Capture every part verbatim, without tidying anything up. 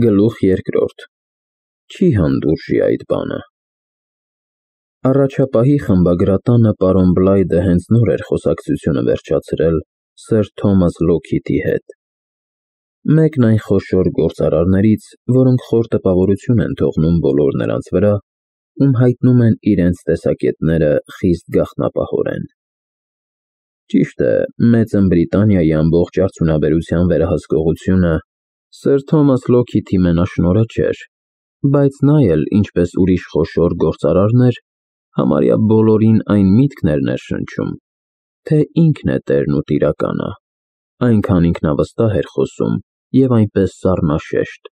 Գլուխ երկրորդ. Չի հանդուրժի այդ բանը։ Առաջապահի խմբագրատանը պարոն Բլայդը հենց նոր էր խոսակցությունը վերջացրել սըր Թոմաս Լոքհիթի հետ։ Մեկն այն խոշոր գործարարներից, որոնք խոր տպավորություն են թողնում բոլոր նրանց վրա, ում հայտնում են իրենց տեսակետները խիստ գաղտնապահորեն։ Ճիշտ է, Մեծն Բրիտանիայի ամբողջ արդյունաբերության վերահսկողությունը սըր Թոմաս Լոքհիթի մենաշնորհը չէր, բայց նա էլ, ինչպես ուրիշ խոշոր գործարարներ, համարյա բոլորին այն միտքն էր ներշնչում, թե ինքն է տերն ու տիրականը, այնքան ինքնավստահ էր խոսում և այնպես սառնաշեշտ։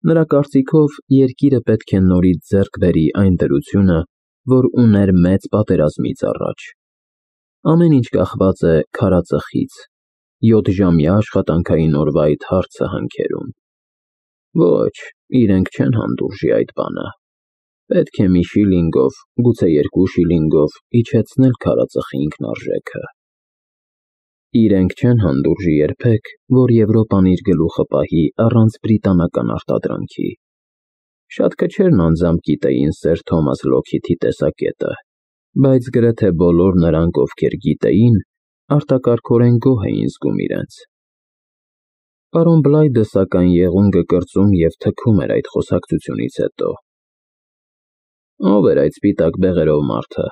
Նրա կարծիքով երկիրը պետք է նորից ձեռք բերի այն դրությունը, որ ուներ մեծ պատերազմից առաջ։ Ամեն ինչ կախված է քարածխից, յոթժամյա աշխատանքային օրվա այդ հարցը հանքերում։ Ոչ, իրենք չեն հանդուրժի այդ բանը։ Պետք է մի շիլինգով, գուցե երկու շիլինգով իջեցնել քարածխի ինքնարժեքը։ Իրենք չեն հանդուրժի երբեք, որ Եվրոպան իր գլուխը պահի առանց բրիտանական արտադրանքի։ Շատ քչերն անձամբ գիտեին սըր Թոմաս Լոքհիթի տեսակետը, բայց գրեթե բոլոր նրանք, ովքեր գիտեին, արտակարգորեն գոհ էին զգում իրենց։ Պարոն Բլայդը, սակայն, եղունգը կրծում և թքում էր այդ խոսակցությունից հետո։ Ո՞վ էր այդ սպիտակ բեղերով մարդը,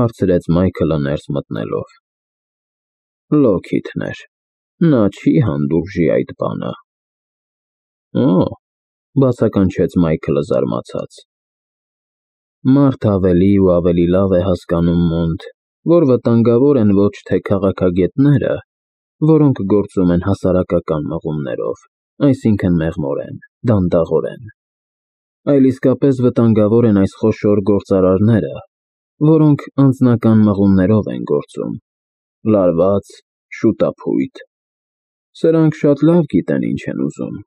հարցրեց Մայքլը ներս մտնելով։ Լոքհիթն էր, նա չի հանդուրժի այդ բանը։ Օ, բացականչեց Մայքլը զարմացած։ Մարդ ավելի ու ավելի լավ է հասկանում Մոնտ, որ վտանգավոր են ոչ թե քաղաքագետները, որոնք գործում են հասարակական մղումներով, այսինքն մեղմորեն, դանդաղորեն, այլ իսկապես վտանգավոր են այս խոշոր գործարարները, որոնք անձնական մղումներով են գործում, լարված, շուտափույթ։ Սրանք շատ լավ գիտեն ինչ են ուզում,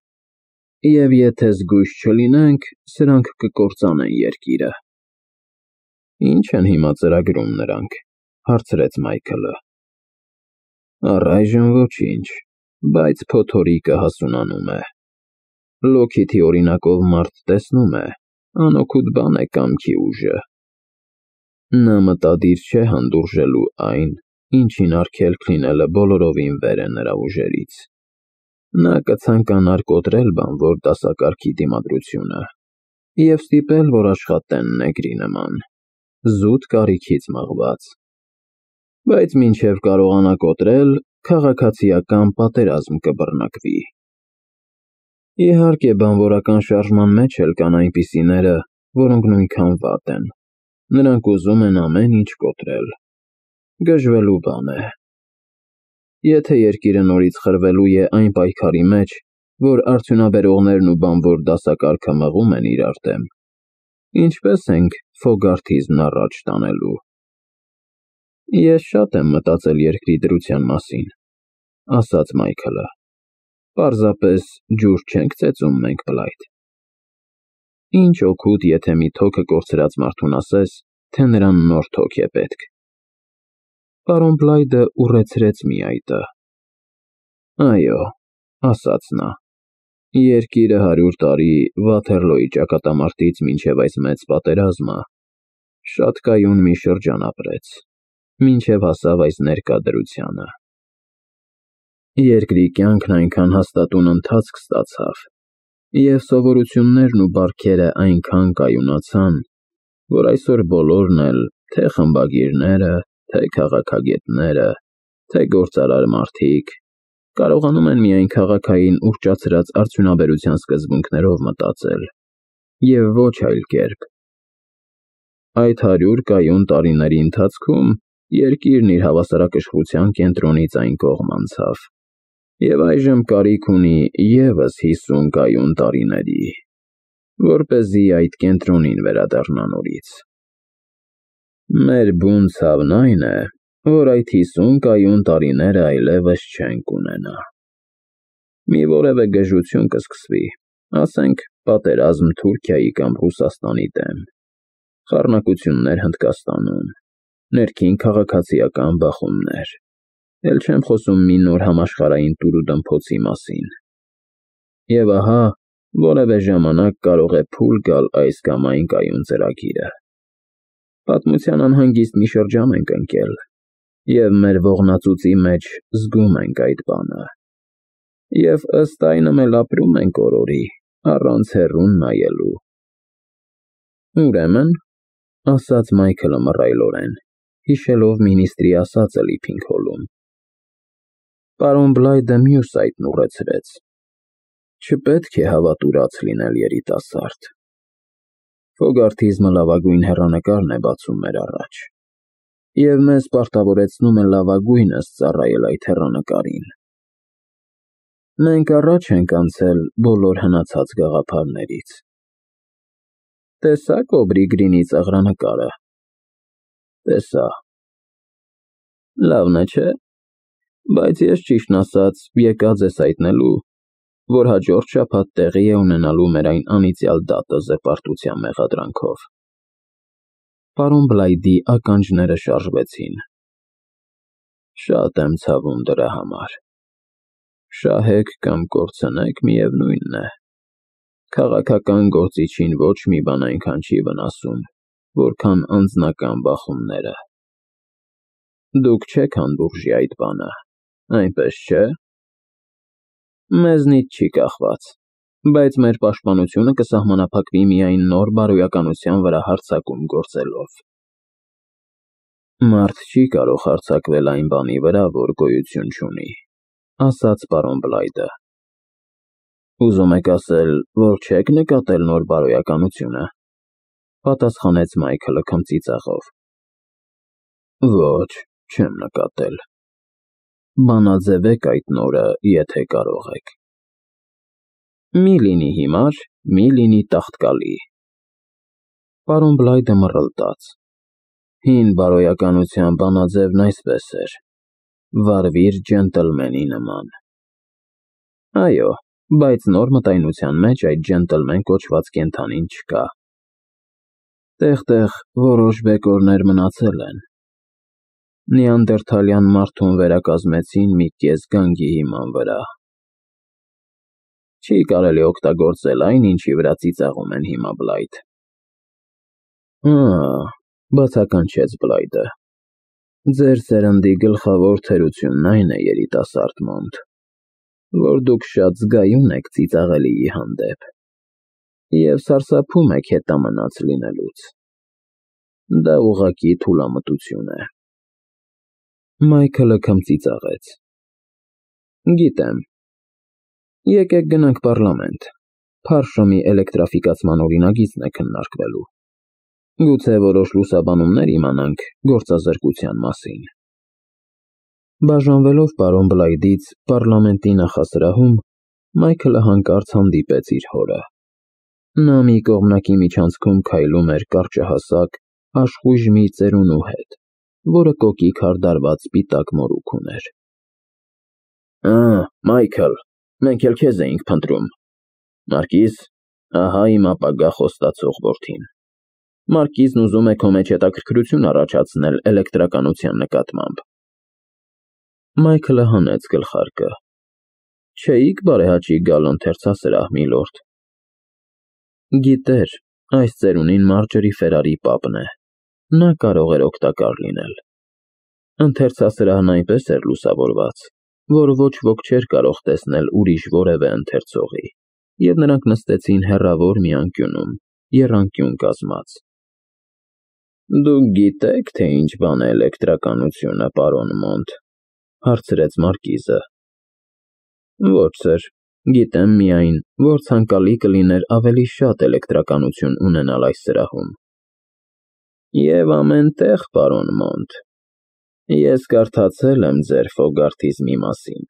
և եթե զգույշ չլինենք, սրանք կկործանեն երկիրը։ Ինչ են հիմա ծրագրում նրանք, հարցրեց Մայքլը։ Առայժմ ոչինչ, բայց փոթորիկը հասունանում է։ Լոքհիթի օրինակով մարդ տեսնում է, անօգուտ բան է կամքի ուժը։ Նա մտադիր չէ հանդուրժելու այն, ինչին արգելք լինելը բոլորովին վեր է նրա ուժերից։ Նա կցանկանար կոտրել բանվոր դասակարգի դիմադրությունը և ստիպել, որ աշխատեն նեգրի նման, զուտ կարիքից մղված։ Բայց մինչև կարողանա կոտրել, քաղաքացիական պատերազմ կբռնակվի։ Իհարկե, բանվորական շարժման մեջ էլ կան այնպիսիները, որոնք նույնքան վատ են։ Նրանք ուզում են ամեն ինչ կոտրել։ Գժվելու բան է։ Եթե երկիրը նորից խրվելու է այն պայքարի մեջ, որ արդյունաբերողներն ու բանվոր դասակարգը մղում են իրար դեմ, ինչպե՞ս ենք Ֆոգարթիզմն առաջ տանելու։ Ես շատ եմ մտածել երկրի դրության մասին, ասաց Մայքլը։ Պարզապես ջուր չենք ծեծում մենք, Բլայդ։ Ինչ օգուտ, եթե մի թոքը կորցրած մարդուն ասես, թե նրան նոր թոք է պետք։ Պարոն Բլայդը ուռեցրեց մի այտը։ Այո, ասաց նա, երկիրը հարյուր տարի Վաթերլոյի ճակատամարտից մինչև այս մեծ պատերազմը շատ կայուն մի շրջան ապրեց, մինչև հասավ այս ներկա դրությանը։ Երկրի կյանքն այնքան հաստատուն ընթացք ստացավ, և սովորություններն ու բարքերը այնքան կայունացան, որ այսօր բոլորն էլ, թե խմբագիրները, թե քաղաքագետները, թե գործարար մարդիկ, կարողանում են միայն քաղաքային ուռճացրած արդյունաբերության սկզբունքներով մտածել, և ոչ այլ կերպ։ Այդ հարյուր կայուն տարիների ընթացքում երկիրն իր հավասարակշռության կենտրոնից այն կողմ անցավ, և այժմ կարիք ունի ևս հիսուն կայուն տարիների, որպեսզի այդ կենտրոնին վերադառնա նորից։ Մեր բուն ցավն այն է, որ այդ հիսուն կայուն տարիները այլևս չենք ունենա։ Մի որևէ գժություն կսկսվի, ասենք պատերազմ Թուրքիայի կամ Ռուսաստանի դեմ, խառնակություններ Հնդկաստանում, ներքին քաղաքացիական բախումներ, էլ չեմ խոսում մի նոր համաշխարհային տուր ու դմփոցի մասին։ Եվ ահա, Որևէ ժամանակ կարող է փուլ գալ այս կամ այն կայուն ծրագիրը։ Պատմության անհանգիստ մի շրջան ենք ընկել, և մեր ողնածուծի մեջ զգում ենք այդ բանը։ Եվ ըստ այնմ էլ ապրում ենք օրորի, առանց հեռուն նայելու։ Ուրեմն, ասաց Մայքլը մռայլորեն, հիշելով մինիստրի ասածը լիփին քոլում։ Պարոն Բլայդը մյուս այտն ուղեցրեց. Չպետք է հավատուրաց լինել երիտասարդ։ Ֆոգարթիզմը լավագույն հեռանկարն է բացում մեր առաջ, և մեզ պարտավորեցնում է լավագույնս ծառայել այդ հեռանկարին։ Մենք առաջ ենք անցել բոլոր հնացած գաղափարներից։ Տեսա՞ք Օբրի Գրինի ծաղրանկարը։ Տեսա։ Լավն է, չէ՞։ Բայց ես ճիշտն ասած եկած ես հայտնելու, որ հաջորդ շաբաթ տեղի է ունենալու մեր այն անիծյալ դատը զրպարտության մեղադրանքով։ Պարոն Բլայդի ականջները շարժվեցին։ Շատ եմ ցավում դրա համար։ Շահեք կամ կորցնեք, միևնույնն է։ Քաղաքական գործիչին ոչ մի բան այնքան չի վնասում, որքան անձնական բախումները։ Դուք չեք հանդուրժի այդ բանը, այնպես չէ՞։ Մեզնից չի կախված, բայց մեր պաշտպանությունը կսահմանափակվի միայն նոր բարոյականության վրա հարձակում գործելով։ Մարդ չի կարող հարձակվել այն բանի վրա, որ գոյություն չունի, ասաց պարոն Բլայդը։ Ուզում եք ասել, որ չեք նկատել նոր բարոյականությունը, պատասխանեց Մայքլը քմծիծաղով։ Ոչ, չեմ նկատել։ Բանաձևեք այդ նորը, եթե կարող եք։ Մի լինի հիմար, մի լինի տաղտկալի։ Պարոն Բլայդը մռլտաց։ Հին բարոյականության բանաձևն այսպես էր. վարվիր ջենտլմենի նման։ Այո, բայց նոր մտայնության մեջ այդ ջենտլմեն կոչված կենդանին չկա։ Տեղ-տեղ որոշ բեկորներ մնացել են։ Նեանդերթալյան մարդուն վերակազմեցին մի կես գանգի հիման վրա։ Չի կարելի օգտագործել այն, ինչի վրա ծիծաղում են հիմա Բլայդ։ Ահ, բացականչեց Բլայդը։ Ձեր սերնդի գլխավոր թերությունն այն է, երիտասարդ Մոնտ, որ դուք շատ զգայուն եք ծիծաղելիի հանդեպ և սարսափում եք հետամնաց լինելուց։ Դա ուղղակի թուլամտություն է։ Մայքլը քմծիծաղեց։ Գիտեմ։ Եկեք գնանք պառլամենտ, Փարշոմի էլեկտրաֆիկացման օրինագիծն է քննարկվելու։ Գուցե որոշ լուսաբանումներ իմանանք գործազրկության մասին։ Բաժանվելով պարոն Բլայդից պառլամենտի նախասրահում, Մայքլը հանկարծ հանդիպեց իր հորը։ Նա մի կողմնակի միջանցքում քայլում էր կարճահասակ, աշխույժ մի ծերունու հետ, որը կոկիկ հարդարված սպիտակ մորուք ուներ։ Ահ, Մայքլ, մենք էլ քեզ էինք փնտրում։ Մարկիզ, ահա իմ ապագա խոստացող որդին։ Մարկիզն ուզում է քո մեջ հետաքրքրություն առաջացնել էլեկտրականության նկատմամբ։ Մայքլը հանեց գլխարկը։ Չէիք բարեհաճիկ գալ ընթերցասրահ, միլորդ։ Գիտեր, այս ծերունին Մարջերի Ֆերարի պապն է։ Նա կարող էր օգտակար լինել։ Ընթերցասրահն այնպես էր լուսավորված, որ ոչ ոք չէր կարող տեսնել ուրիշ որևէ ընթերցողի, և նրանք նստեցին հեռավոր մի անկյունում, եռանկյուն կազմած։ Դուք գիտե՞ք, թե ինչ բան է էլեկտրականությունը, պարոն Մոնտ, հարցրեց Մարկիզը։ Ոչ, սըր, գիտեմ միայն, որ ցանկալի կլիներ ավելի շատ էլեկտրականություն ունենալ այս սրահում։ Եվ ամեն տեղ, պարոն Մոնտ, ես կարդացել եմ ձեր ֆոգարթիզմի մասին։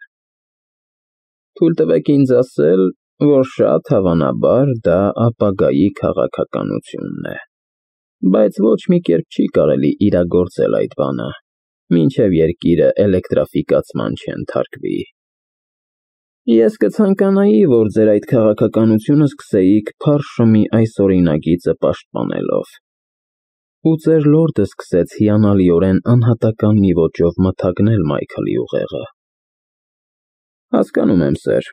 Թույլ տվեք ինձ ասել, որ շատ հավանաբար դա ապագայի քաղաքականությունն է, բայց ոչ մի կերպ չի կարելի իրագործել այդ բանը, մինչև երկիրը էլեկտրաֆիկացման չենթարկվի։ Ես կցանկանայի, որ ձեր այդ քաղաքականությունը սկսեիք Փարշոմի այս օրինագիծը պաշտպանելով։ Ու ձեր լորդը սկսեց հիանալիորեն անհատական մի ոճով մթագնել Մայքլի ուղեղը։ Հասկանում եմ, սըր,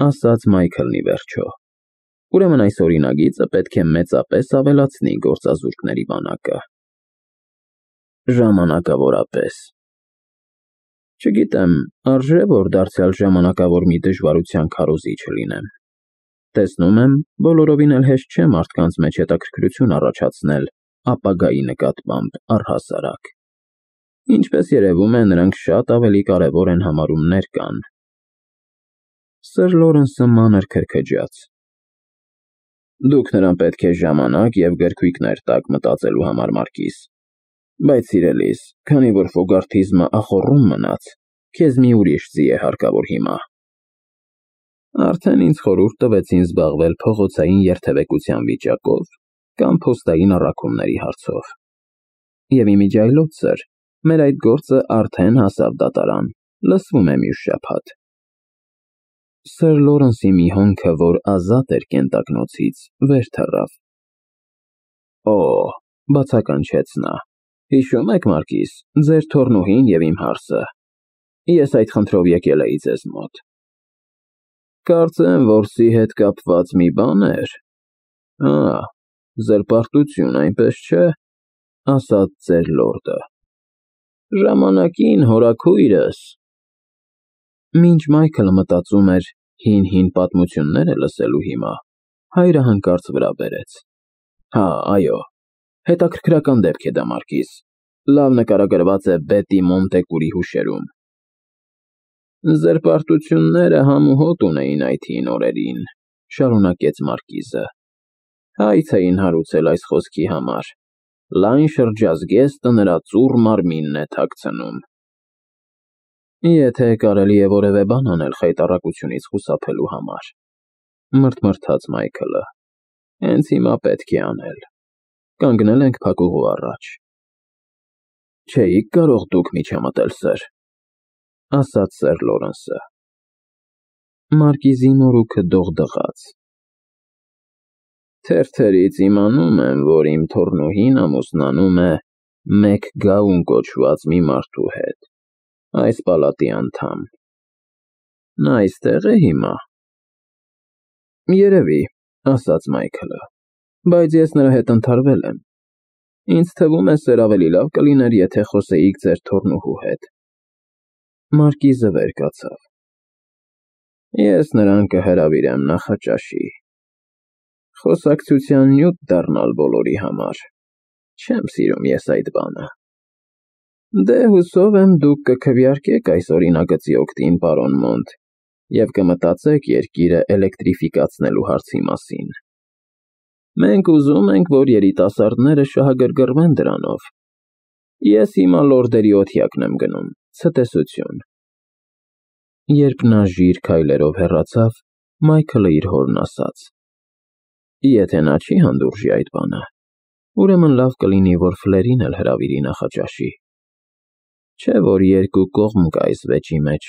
ասաց Մայքլն ի վերջո։ Ուրեմն այս օրինագիծը պետք է մեծապես ավելացնի գործազուրկների բանակը։ Ժամանակավորապես։ Չգիտեմ, արժե որ դարձյալ ժամանակավոր մի դժվարության քարոզիչ լինեմ։ Տեսնում եմ, բոլորովին էլ հեշտ չէ մարդկանց մեջ հետաքրքրություն առաջացնել ապագայի նկատմամբ առհասարակ։ Ինչպես երևում է, նրանք շատ ավելի կարևոր են համարում ներկան։ Սըր Լորենսը մանր քրքջաց։ Դուք նրան պետք է ժամանակ և գրքույկներ տաք մտածելու համար, Մարկիս, բայց սիրելիս, քանի որ ֆոգարթիզմը ախոռում մնաց, քեզ մի ուրիշ ձի է հարկավոր հիմա։ Արդեն ինձ խորհուրդ տվեցին զբաղվել փողոցային երթևեկության վիճակով կամ փոստային առաքումների հարցով։ Եվ իմիջիայլոց, սըր, մեր այդ գործը արդեն հասավ դատարան, լսվում է մյուս շաբաթ։ Սըր Լորենսի մի հոնքը, որ ազատ էր կենտակնոցից, վեր թռավ։ Օ, բացականչեց նա, հիշո՞ւմ եք, Մարկիս, ձեր թոռնուհին և իմ հարցը։ Ես այդ խնդրով եկել էի ձեզ մոտ։ Կարծեմ, որսի հետ կապված մի բան էր։ Ա, զրպարտություն, այնպես չէ, ասաց ձեր լորդը։ Ժամանակին հորաքույրս։ Մինչ Մայքլը մտածում էր հին-հին պատմությունները լսելու հիմա, հայրը հանկարծ վրա բերեց։ Հա, այո, հետաքրքրական դեպք է դա, Մարկիս, լավ նկարագրված է Բետի Մոնտեկուրի հուշերում։ Զրպարտությունները համ ու հոտ ունեին այդ հին օրերին, շարունակեց Մարկիզը։ Հայց էին հարուցել այս խոսքի համար. լայն շրջազգեստը նրա ծուռ մարմինն է թաքցնում։ Եթե կարելի է որևէ բան անել խայտառակությունից խուսափելու համար, մրթմրթաց Մայքլը, հենց հիմա պետք է անել։ Կանգնել ենք փակուղու առաջ։ Չէիք կարող դուք միջամտել, սըր, ասաց սըր Լորենսը։ Մարկիզի մորուքը դողդղաց։ Թերթերից իմանում եմ, որ իմ թոռնուհին ամուսնանում է մեկ գաուն կոչված մի մարդու հետ, այս պալատի անդամ։ Նա այստեղ է հիմա։ Երևի, ասաց Մայքլը, բայց ես նրա հետ ընդհարվել եմ։ Ինձ թվում է, սեր ավելի լավ կլիներ, եթե խոսեիք ձեր թոռնուհու հետ։ Մարկիզը վեր կացավ։ Ես նրան կհրավիրեմ նախաճաշի։ Խոսակցության նյութ դառնալ բոլորի համար։ Չեմ սիրում ես այդ բանը։ Դե հուսով եմ դուք կքվեարկեք այս օրինագծի օգտին, պարոն Մոնտ, և կմտածեք երկիրը էլեկտրիֆիկացնելու հարցի մասին։ Մենք ուզում ենք, որ երիտասարդները շահագրգռվեն դրանով։ Ես հիմա լորդերի օթյակն եմ գնում, ցտեսություն։ Երբ նա ժիր քայլերով հեռացավ, Մայքլը իր հորն ասաց. Եթե նա չի հանդուրժի այդ բանը, ուրեմն լավ կլինի, որ Ֆլերին էլ հրավիրի նախաճաշի։ Չէ՞ որ երկու կողմ կա այս վեճի մեջ,